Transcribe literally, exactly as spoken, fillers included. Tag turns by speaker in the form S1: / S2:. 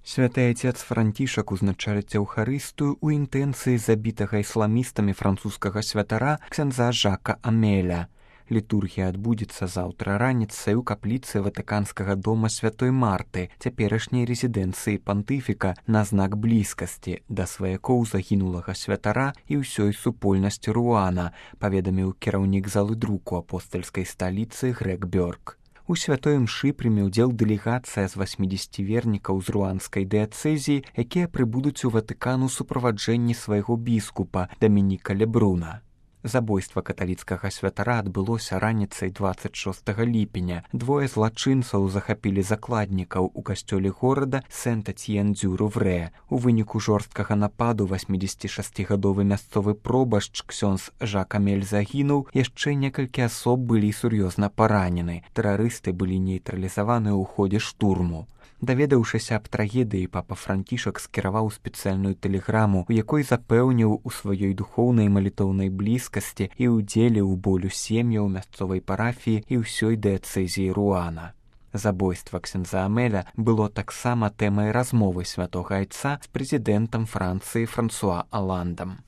S1: Святы Отец Францішак узначаліць Еўхарыстыю ў інтэнцыі забітага ісламістамі французскага святара ксяндза Жака Амеля. Літургія адбудзецца заўтра раніцай у капліцы Ватыканскага дома святой Марты, цяперашняй рэзідэнцыі пантыфіка, на знак блізкасці да сваякоў загінулага святара і ўсёй супольнасці Руана, паведаміў кіраўнік залы друку апостальскай сталіцы Грег Бёрк. У святой імшы прыме ўдзел дэлегацыя з васьмідзесяці вернікаў з руанскай дыяцэзіі, якія прыбудуць у Ватыкан у суправаджэнні свайго біскупа Дамініка Лебруна. Забойства каталіцкага святара адбылося раніцай дваццаць шостага ліпеня. Двое злачынцаў захапілі закладнікаў у касцёле горада Сент-Этьен-дю-Руврэ. У выніку жорсткага нападу васьмідзесяцішасцігадовы мясцовы пробашч ксёндз Жак Амель загінуў, яшчэ некалькі асоб былі сур'ёзна паранены. Тэрарысты былі нейтралізаваны ў ходзе штурму. Даведаўшыся аб трагедыі, папа Францішак скіраваў спецыяльную тэлеграму, у якой запэўніў у сваёй духоўнай малітоўнай блізкасці і ўдзеле ў болю сем'яў мясцовай парафіі і ўсёй дыяцэзіі Руана. Забойства ксяндза Амеля было таксама тэмай размовы святога айца з прэзідэнтам Францыі Франсуа Аландам.